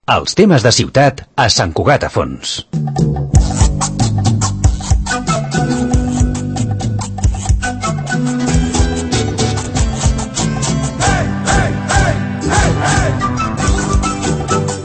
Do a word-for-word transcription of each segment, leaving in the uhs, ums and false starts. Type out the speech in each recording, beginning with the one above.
Els temes de ciutat a Sant Cugat a Fons.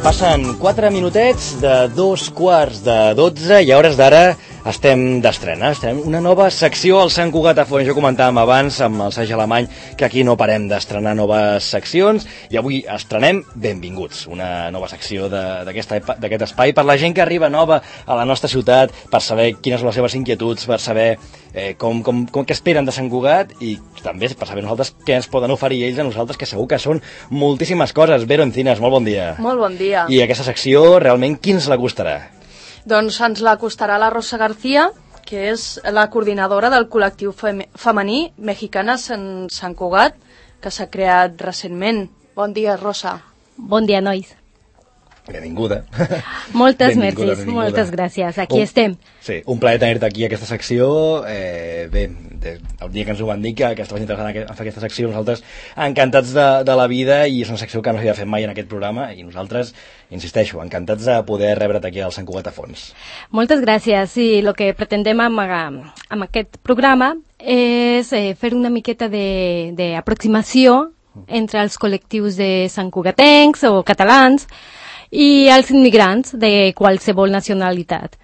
Passen quatre minutets de dos quarts de dotze i a hores d'ara estem d'estrena. Estem una nova secció al Sant Cugat a Fons. Jo comentàvem abans amb el Sergi Alemany que aquí no parem d'estrenar noves seccions i avui estrenem Benvinguts, una nova secció d'aquest espai per la gent que arriba nova a la nostra ciutat, per saber quines són les seves inquietuds, per saber eh, com, com, com què esperen de Sant Cugat i també per saber nosaltres què ens poden oferir ells a nosaltres, que segur que són moltíssimes coses. Vero Encinas, molt bon dia. Molt bon dia. I aquesta secció, realment, qui ens la costarà? Doncs ens la costarà la Rosa García, que és la coordinadora del col·lectiu fem femení Mexicanes en Sant Cugat, que s'ha creat recentment. Bon dia, Rosa. Bon dia, nois. Benvinguda. Moltes benvinguda, merci, benvinguda. Moltes gràcies. Aquí un, estem. Sí, un plaer tenir-te aquí a aquesta secció. Eh, bé, de, el dia que ens ho van dir que, que estaves interessant en fer aquesta secció, nosaltres encantats de, de la vida, i és una secció que no s'havia fet mai en aquest programa, i nosaltres, insisteixo, encantats de poder rebre't aquí al Sant Cugat a Fons. Moltes gràcies. Sí, el que pretendem amb, amb aquest programa és eh, fer una miqueta d'aproximació entre els col·lectius de Sant Cugatencs o catalans i els immigrants de qualsevol nacionalitat.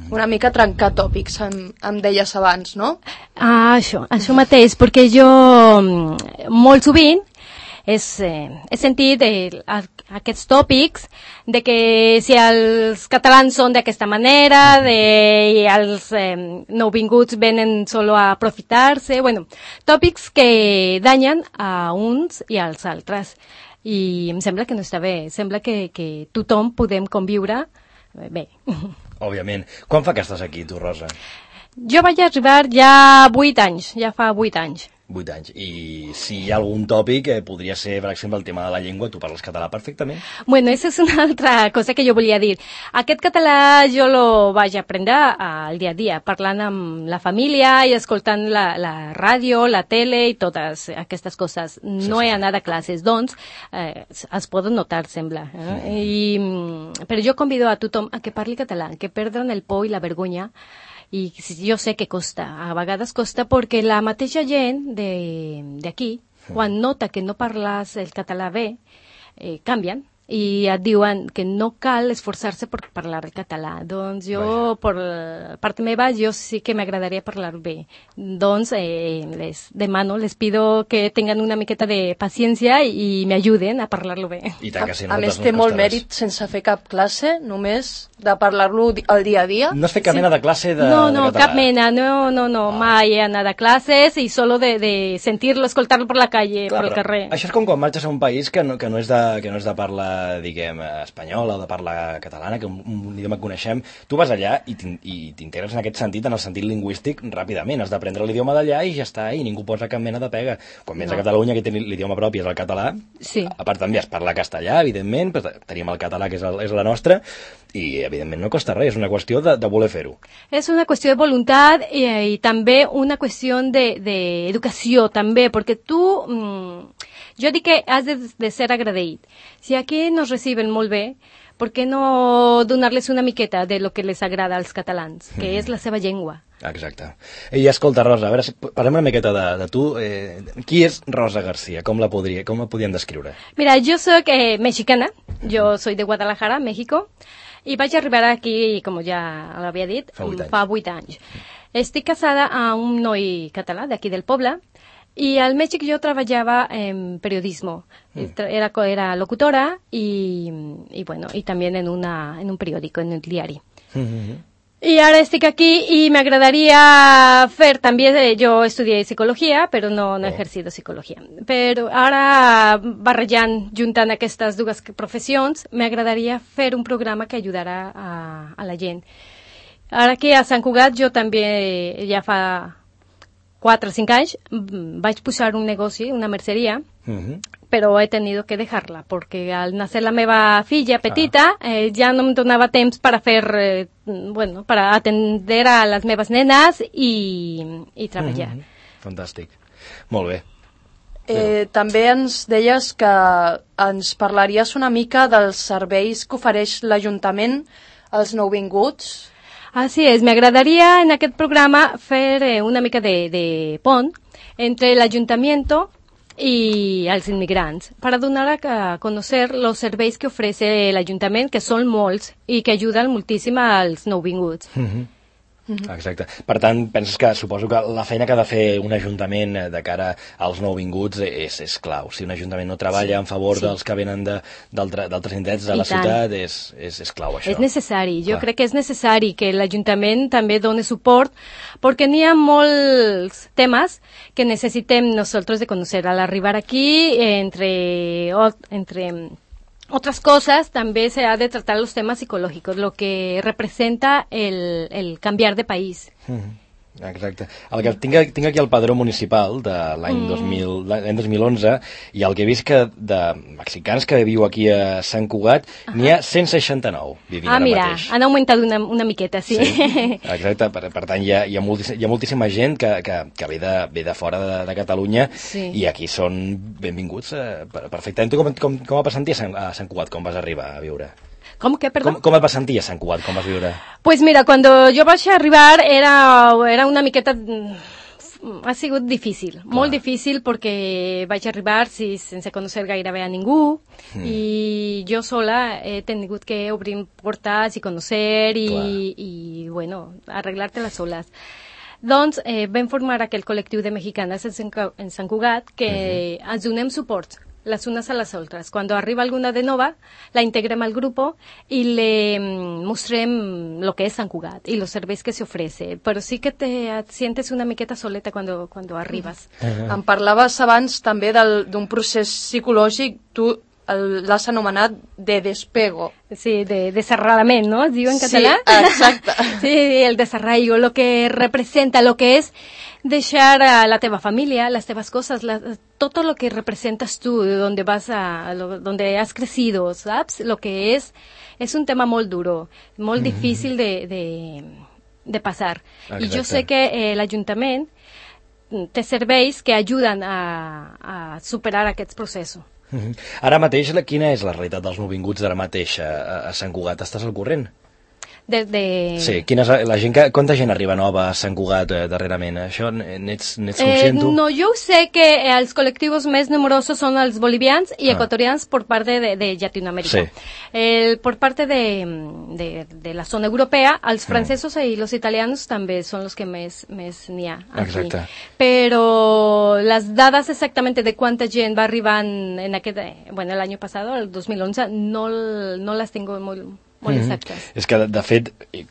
Una mica trencar tòpics, em, em deies abans, no? Ah, això, això mateix, perquè jo molt sovint és, eh, he sentit eh, aquests tòpics de que si els catalans són d'aquesta manera, de, i els eh, nouvinguts venen solo a aprofitar-se, bueno, tòpics que danyen a uns i als altres. I em sembla que no està bé, sembla que, que tothom podem conviure bé. Òbviament. Quan fa que estàs aquí, tu, Rosa? Jo vaig arribar ja vuit anys, ja fa vuit anys. Vuit anys. I si hi ha algun tòpic, eh, podria ser, per exemple, el tema de la llengua. Tu parles català perfectament? Bueno, això és una altra cosa que jo volia dir. Aquest català jo lo vaig aprendre al dia a dia, parlant amb la família i escoltant la, la ràdio, la tele i totes aquestes coses. No he anat a classes, doncs eh, es poden notar, sembla. Eh? I, però jo convido a tothom a que parli català, que perdran el por i la vergonya. I jo sé que costa, a vegades costa perquè la mateixa gent d'aquí, quan nota que no parles el català bé, eh, canvien i et diuen que no cal esforçar-se per parlar el català. Doncs jo, per part meva, jo sí que m'agradaria parlar bé. Doncs eh, les demano, les pido que tinguin una miqueta de paciència i m'ajuden a parlar-lo bé. I tant que sí, a, a més, té molt mèrit sense fer cap classe, només de parlar-lo al dia a dia. No has fet cap sí. mena de classe de, no, no, de català? Cap mena, no, no, no, ah. mai he anat a classes i solo de, de sentir-lo, escoltar-lo per la calle, Clar, pel carrer. Això és com quan marxes a un país que no, que no és de, que no és de parla, diguem, espanyola o de parla catalana, que un, un idioma que coneixem. Tu vas allà i t'integres en aquest sentit, en el sentit lingüístic, ràpidament. Has d'aprendre l'idioma d'allà i ja està, i ningú posa cap mena de pega. Quan vens no. a Catalunya, que té l'idioma propi és el català, sí. a part també es parla castellà, evidentment, però tenim el català, que és, el, és la nostra, i evidentment no costa res, és una qüestió de, de voler fer-ho. És una qüestió de voluntat i, i també una qüestió d'educació, de, també, perquè tu... Mm, jo dic que has de, de ser agraït. Si aquí nos reciben molt bé, per què no donar-les una miqueta de lo que les agrada als catalans, que mm. és la seva llengua? Exacte. I escolta, Rosa, a veure, parlem una miqueta de, de tu. Eh, qui és Rosa García? Com la, podria, com la podíem descriure? Mira, jo soc eh, mexicana, jo soy de Guadalajara, México, i vaig arribar aquí, com ja l'havia dit, fa vuit anys. Fa vuit anys. Estic casada amb un noi català d'aquí del poble, i al Mèxic jo treballava en periodismo. Mm. Era, era locutora i, i, bueno, i també en, una, en un periòdico, en un diari. Mm-hmm. I ara estic aquí i m'agradaria fer també, jo estudié psicologia, però no, no he exercido psicologia. Però ara, barrejant, juntant aquestes dues professions, m'agradaria fer un programa que ajudarà a, a la gent. Ara que a Sant Cugat jo també ja fa quatre o cinc anys vaig posar un negoci, una merceria, uh-huh. però he tenido que dejarla, perquè al nacer la meva filla petita, ah. eh, ja no em donava temps per a fer, eh, bueno, per a atender a les meves nenes i, i treballar. Uh-huh. Fantàstic. Molt bé. Eh, també ens deies que ens parlaries una mica dels serveis que ofereix l'Ajuntament als nouvinguts. Así es, me agradaría en aquest programa fer eh, una mica de, de pont entre el ayuntamiento y als inmigrants para donar a conocer los serveis que ofrece el ayuntament, que són molts i que ajuden moltíssim als nouvinguts. Mm-hmm. Mm-hmm. Exacte. Per tant, penses que suposo que la feina que ha de fer un ajuntament de cara als nouvinguts és, és clau. Si un ajuntament no treballa sí, en favor sí. dels que venen d'altres indrets de I la tant. ciutat, és, és, és clau això. És necessari. Jo Clar. crec que és necessari que l'Ajuntament també doni suport, perquè n'hi ha molts temes que necessitem nosaltres de conèixer. Al arribar aquí, entre... entre otras cosas, también se ha de tratar los temas psicológicos, lo que representa el, el cambiar de país. Mm-hmm. Exacte. El que tinc, tinc aquí el padró municipal de l'any mm. dos mil, l'any dos mil onze, i el que he vist que de mexicans que viu aquí a Sant Cugat, uh -huh. n'hi ha cent seixanta-nou vivint ah, ara mira, mateix. Han augmentat una, una miqueta, sí. sí. Exacte, per, per tant hi ha, hi ha, moltíssim, hi ha moltíssima gent que, que, que ve, de, ve de fora de, de Catalunya sí. i aquí són benvinguts eh, perfectament. Tu com, com, com vas sentir a Sant, a Sant Cugat, com vas arribar a viure? ¿Cómo que, perdón? Com, com et vas sentir a Sant Cugat, com vas viure? Pues mira, cuando yo vaig a arribar era, era una miqueta... Ha sigut difícil, Clar. molt difícil, perquè vaig arribar si, sense conèixer gairebé a ningú mm. i jo sola he tingut que obrir portes i conèixer i, i bueno, arreglar-te-les soles. Doncs eh, vam formar aquell col·lectiu de mexicanes en Sant Cugat que mm-hmm. ens donem suport las unas a las otras. Cuando arriba alguna de nova, la integrem al grupo y le mostrem lo que es Sant Cugat y los serveis que se ofrece. Però sí que te sientes una miqueta soleta cuando, cuando arribes. Uh-huh. Em parlaves abans també d'un procés psicològic, tu l'has anomenat de despego. Sí, de desarrolament, ¿no? Es diu en català? Sí, exacte. Sí, el desarraigo, lo que representa, lo que es deixar a la teva família, las tevas cosas, la, todo lo que representas tú, donde vas a, lo, donde has crecido, ¿sabes? Lo que es, es un tema molt duro, molt mm-hmm. difícil de, de, de passar. Exacte. I jo sé que eh, l'Ajuntament té serveis que ajuden a, a superar aquests processos. Mm-hmm. Ara mateix, quina és la realitat dels nouvinguts d'ara mateix a, a Sant Cugat? Estàs al corrent? De, de... Sí, quina és la gent que, quanta gent arriba nova a Sant Cugat eh, darrerament? Això n'ets conscient, tu? Eh, no, jo sé que els col·lectius més numerosos són els bolivians i ah. ecuatorians per part de, de Llatinoamèrica. Sí. El, per part de, de, de la zona europea, els francesos mm. i els italians també són els que més més n'hi ha aquí. Exacte. Però les dades exactament de quanta gent va arribant en aquest, bueno, l'any passat, el dos mil onze, no, no les tengo molt... molt exactes. Mm-hmm. És que, de, de fet,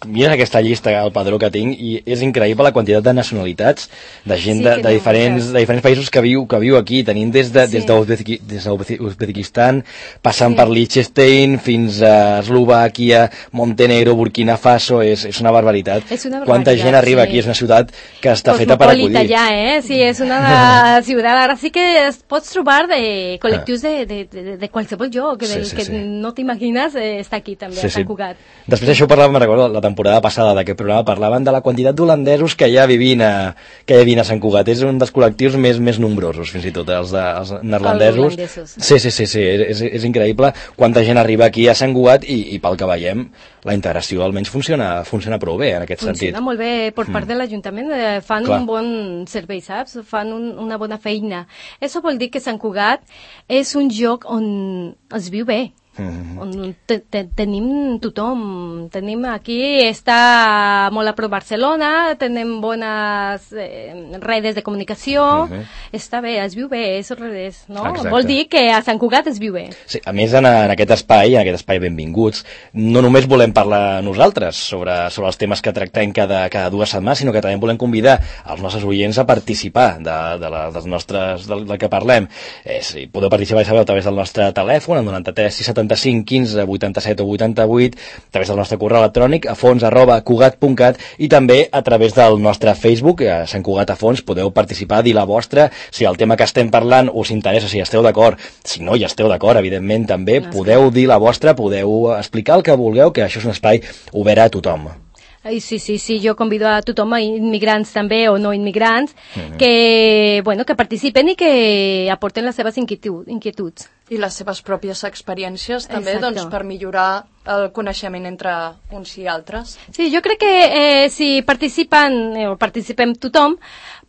mira aquesta llista, el padró que tinc, i és increïble la quantitat de nacionalitats, de gent sí, de, de, no, diferents, de diferents països que viu, que viu aquí. Tenim des de, sí. des d'Uzbekistan, passant sí. per Liechtenstein, fins a Eslovàquia, Montenegro, Burkina Faso, és, és una barbaritat. És una barbaritat. Quanta gent arriba sí. aquí, és una ciutat que està feta per acollir. Ja, eh? Sí, és una ciutat, ara sí que es pots trobar de col·lectius ah. de, de, de, de qualsevol lloc, que, sí, sí, que sí. no t'imagines, eh, està aquí també, sí, a Sant Cugat. Després això parlàvem, me'n recordo, la temporada passada d'aquest programa, parlaven de la quantitat d'holandesos que hi ha vivint a, que hi ha vivint a Sant Cugat. És un dels col·lectius més més nombrosos, fins i tot, els, de, els neerlandesos. Els sí, sí, sí, sí, és, és increïble quanta gent arriba aquí a Sant Cugat i, i pel que veiem, la integració almenys funciona, funciona prou bé en aquest funciona sentit. Funciona molt bé per part mm. de l'Ajuntament, eh, fan Clar. un bon servei, saps? Fan un, una bona feina. Això vol dir que Sant Cugat és un lloc on es viu bé. Mm-hmm. Te, te, tenim tothom, tenim aquí, està molt a prop Barcelona, tenim bones eh, redes de comunicació, mm-hmm. està bé, es viu bé, és redes, no? Exacte. Vol dir que a Sant Cugat es viu bé. Sí, a més, en, en aquest espai, en aquest espai benvinguts, no només volem parlar nosaltres sobre, sobre els temes que tractem cada, cada dues setmanes, sinó que també volem convidar els nostres oients a participar de, de la, dels nostres, del, del que parlem. Eh, sí, podeu participar, ja sabeu, a través del nostre telèfon, el noranta-tres sis setanta-cinc quinze vuitanta-set o vuitanta-vuit, a través del nostre correu electrònic a fons arroba cugat punt cat i també a través del nostre Facebook, a Sant Cugat a Fons. Podeu participar, dir la vostra, si el tema que estem parlant us interessa, si esteu d'acord, si no hi esteu d'acord, evidentment també, podeu dir la vostra, podeu explicar el que vulgueu, que això és un espai obert a tothom. Ai, sí, sí, sí, jo convido a tothom, a immigrants també o no immigrants, mm-hmm. que, bueno, que participen i que aporten les seves inquietud, inquietuds. I les seves pròpies experiències també, Exacto. doncs, per millorar el coneixement entre uns i altres. Sí, jo crec que eh, si participen eh, o participem tothom,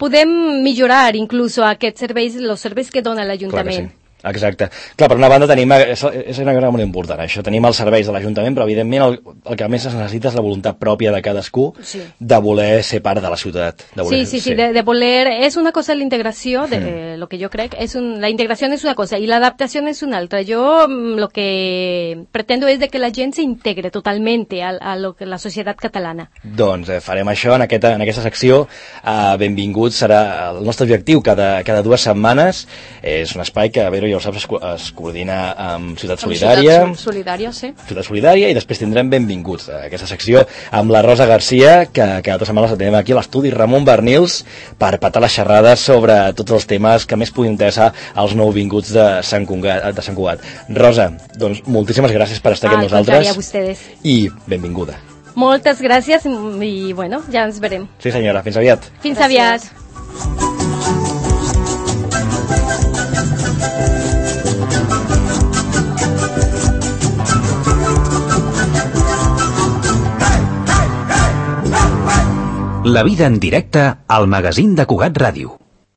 podem millorar inclús aquests serveis, els serveis que dona l'Ajuntament. Exacte. Clar, per una banda tenim, és, és una cosa molt important, això, tenim els serveis de l'Ajuntament, però evidentment el, el que més es necessita és la voluntat pròpia de cadascú sí. de voler ser part de la ciutat. De voler, sí, sí, sí, de, de voler, és una cosa la integració, de, mm. eh, lo que jo crec, és un, la integració és una cosa i l'adaptació és una altra. Jo lo que pretendo és de que la gent s'integre totalment a, a lo que la societat catalana. Doncs eh, farem això en aquesta, en aquesta secció. Uh, benvinguts, serà el nostre objectiu cada, cada dues setmanes. És un espai que, a veure, ja ho saps, es, es coordina amb Ciutat Solidària. Ciutat Solidària, sí. Ciutat Solidària, i després tindrem benvinguts a aquesta secció amb la Rosa Garcia, que cada dues setmanes la tenim aquí a l'estudi Ramon Bernils per patar les xerrades sobre tots els temes que més puguin interessar als nouvinguts de Sant Cugat. De Sant Cugat. Rosa, doncs moltíssimes gràcies per estar aquí amb nosaltres. A ustedes. I benvinguda. Moltes gràcies i, bueno, ja ens veurem. Sí, senyora, fins aviat. Fins aviat. La vida en directe al magazín de Cugat Ràdio.